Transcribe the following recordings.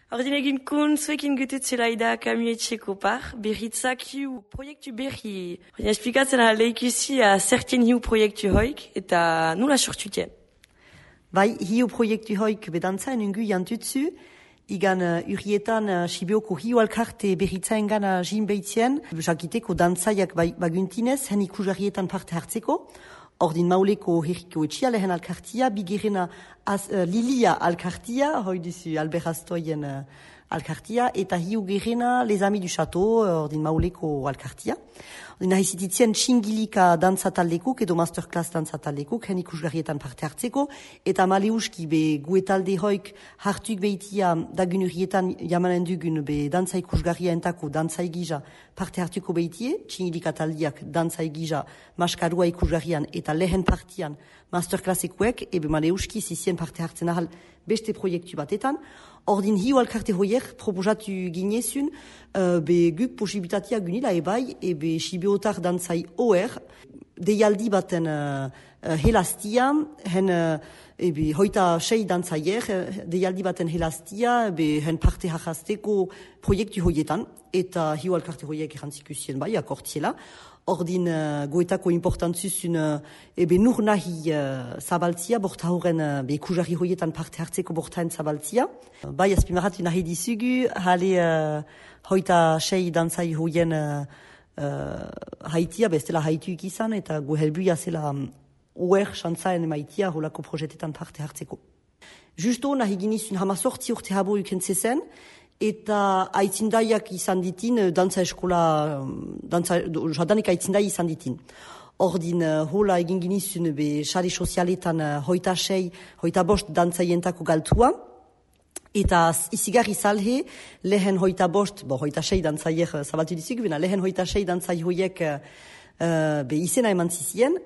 Ordin egin kun zuekin gututzela ida kamietxeko par, berritzak hiu proiektu berri. Ordin esplikatzen leikusi a zertien hiu proiektu hoik eta nula sortutien. Bai, hiu proiektu hoik bedantzaen ungu jantutzu, igan urrietan Sibioko hiu alkarte berritzaen gana jin behitzien, jakiteko dantzaiak baguntinez, hen ikusarrietan parte hartzeko. Ordin mauleko herriko etxia lehen alkartia, bigirena Lilia alkartia, hoi duzu Alberaztoien alkartia, eta hiu gerena Les Amis du Chateau, ordin mauleko alkartia. Ordin ahizititzen txingilika dantzataldekuk edo masterclass dantzataldekuk, hen ikusgarrietan parte hartzeko, eta maleuski be guetalde hoik hartuk behitia dagun urrietan jamanen dugun be dantza ikusgarria entako dantzai gija parte hartuko behitie, txingilika taldiak dantzai gija maskarua ikusgarrian eta lehen partian masterclassekuek, ebe maleuski zizien parte hartzen ahal beste proiektu batetan. Ordin hiu alkarte hoiek proposatu ginezun, be guk posibilitatea gunila ebai, ebe Sibiotar dantzai OR, deialdi baten helastia, hen ebe hoita sei dantzaier, deialdi baten helastia, ebe hen parte harrazteko proiektu hoietan, eta hiu alkarte hoiek erantzikusien bai, akortziela. Ordin goetako importantzuzun ebe nur nahi zabaltzia, borta horren ikusarri hoietan parte hartzeko bortaen zabaltzia. Bai, azpimarratu nahi dizugu, hale hoita sei dantzai hoien haitia, bestela haituik izan, eta go helbuia zela oer xantzaen emaitia holako projetetan parte hartzeko. Justo nahi ginizun hamazortzi urte habo ukentzezen, eta aitzindaiak izan ditin, dantza eskola, jadanik aitzindai izan ditin. Ordin, hola egin ginizun be sare sozialetan hoita sei, hoita bost dantzaientako galtua, eta izigarri salhe, lehen hoita bost, hoita sei dantzaier zabaltu dizik, bena lehen hoita sei dantzai hoiek be izena eman zizien,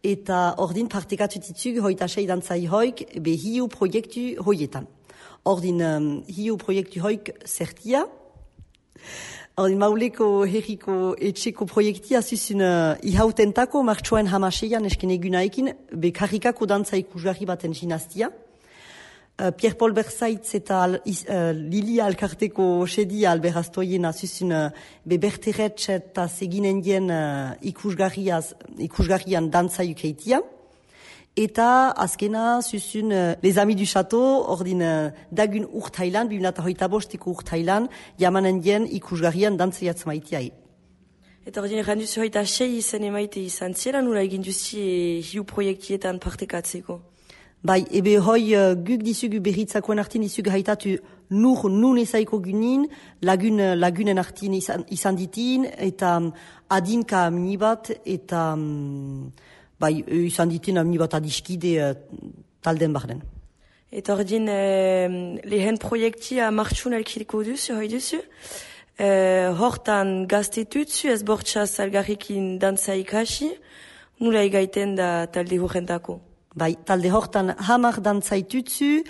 eta ordin partekatu ditzug hoita sei dantzai hoik be hiu proiektu hoietan. Ordin hiu proiektu hoik zertia. Ordin mauleko herriko etxeko proiektia zuzun ihautentako martxoen hamaseian esken egunaekin be karrikako dantza ikusgarri baten ginaztia. Pierre-Paul Berzaitz eta Lilia alkarteko sedia Alberaztoiena zuzun be berteretz eta seginen dien ikusgarrian dantza ukeitia. Eta azkena zuzun Les Amis du Chateau, ordin dagun urtailan, 2025ko urtailan, jamanen dien ikusgarrian dantzaiatz maitiai. Eta ordin erranduzu hoita sei izan emaite izan zela, nula egin duzi hiu proiektietan partekatzeko? Bai, ebe hoi guk dizugu berritzakoen artin dizugu haitatu nun ezaiko gunin, lagunen artin izan ditin, eta adinka amnibat, eta bai, izan ditin amnibat adiskide talden barden. Eta ordin lehen proiektia martxun elkiriko duzu, hoi duzu? Hortan gaztetutzu ez bortxaz algarrikin dantza ikasi, nula egaiten da talde horrentako? Bai, talde hortan hamar dantzaitutzu,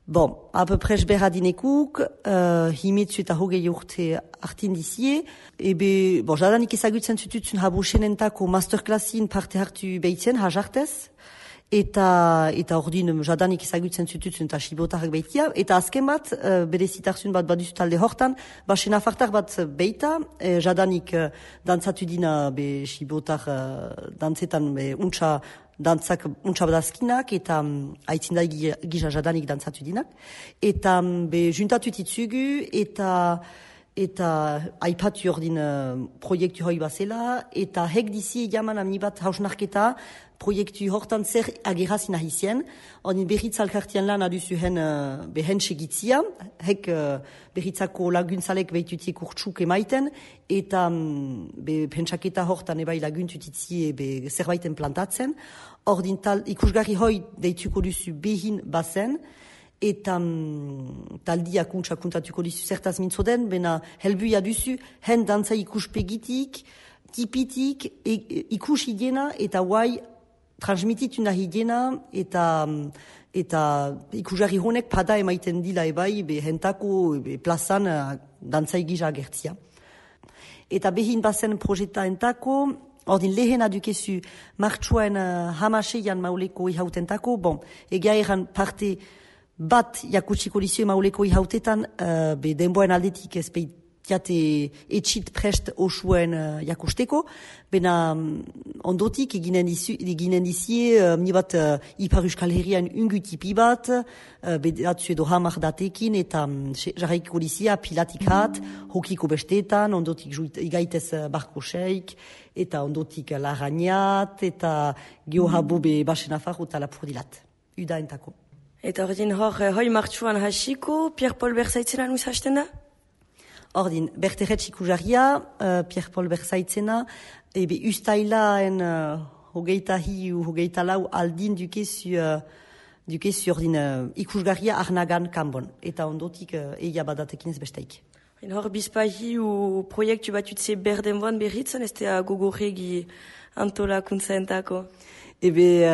bon, apeprez berradinekuk, himetzu eta hogei urte artindizie, ebe, bon, jadanik ezagutzen zututzun habusenentako masterclassin parte hartu behitzen, hajartez, eta ordin jadanik ezagutzen zututzun eta Sibiotarrak behitia, eta azken bat, bere zitarzun bat baduzu talde hortan, basen afartar bat behita, jadanik dantzatu dina be Sibiotar dantzetan be untxa dantzak untxabadazkinak eta aitzindai gisa jadanik dantzatu dinak. Eta be juntatu titzugu eta aipatu ordin proiektu hoi bazela eta hek dizi jaman amni bat hausnarketa proiektu hortan zer agerazin ahizien. Ordin berritz alkartian lan aduzu behen segitzia, hek berritzako laguntzalek behitutiek urtsuk emaiten, eta pentsaketa hortan ebai laguntutitzie zerbaiten plantatzen. Ordin ikusgarri hoi deituko duzu behin bazen, eta taldiak untxakuntatuko duzu zertaz mintzoden, bena helbuia duzu hen dantza ikuspegitik, tipitik, ikusi dena eta guai transmititu nahi dena eta ikusgarri honek pada emaiten dila ebai hentako plazan dantzai gisa agertzia. Eta behin bazen projeta entako, ordin lehen adukezu martxoen hamaseian mauleko ihautentako, bon, egia eran parte bat jakutsiko dizue mauleko ihautetan, be denboen aldetik ezpeitiate etxit prest osuen jakusteko, bena ondotik eginen dizie ni bat Ipar Euskal Herrian ungutipi bat, bedatzu edo hamar datekin, eta jarraiko dizia pilatikat, hokiko bestetan, ondotik igaitez barko seik, eta ondotik larrañat, eta geohabo be basen afarro eta lapurdilat. Uda entako. Eta ordin hoi martxuan hasiko, Pierre-Paul Berzaitzena nuz hasten da? Ordin, berterretz ikusaria, Pierre-Paul Berzaitzena, ebe ustailaen hogeita hiu, hogeita lau aldin dukezu ordin ikusgarria arnagan kanbon. Eta ondotik eia badatekin ez besteik. Hor bizpahiu proiektu batutze berdenboan berritzen, ez da gogorregi antolakuntza entako? Ebe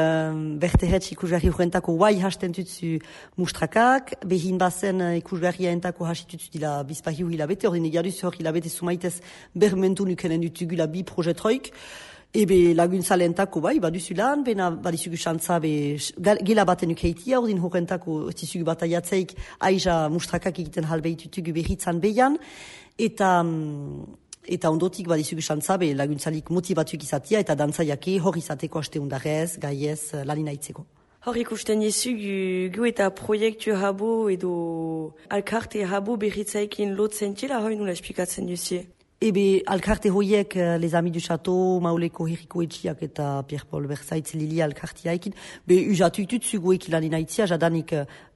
berterretz ikusgarri horrentako guai hasten tutzu mustrakak, behin bazen ikusgarria entako hasitutzu dila bizpahiu hilabete, ordin egiaduz hor hilabete sumaitez bermentu nukenen dutugula bi projetroik, ebe laguntzale entako bai, baduzu lan, bena badizugu xantza gela baten ukeitia, ordin horrentako tizugu bataiatzeik aiza mustrakak egiten halbeitutugu berritzan behian, eta ondotik badizugu xantza laguntzalik motibatuk izatea eta dantzaiake hor izateko asteundarez, gaiez, lanina itzeko. Hor ikusten jezu gu eta proiektu habo edo alkarte habo berritzaikin lotzen txela, hoi nula esplikatzen duzie? Ebe alkarte hoiek Les Amis du Château, Mauleko Herriko Etxiak eta Pierre-Paul Berzaitz Lili alkartiaikin, be usatu itutzu goek lanina itzia, jadanik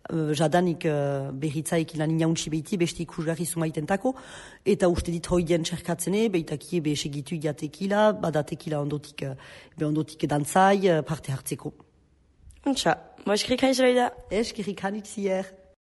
berritzaik lanina untsi behiti, beste ikusgarri sumaitentako, eta uste dit hoien txerkatzene, beitakie be segitu jatekila, badatekila ondotik dantzai, parte hartzeko. Untsa, eskerrik hain zelaida. Eskerrik hain utzier.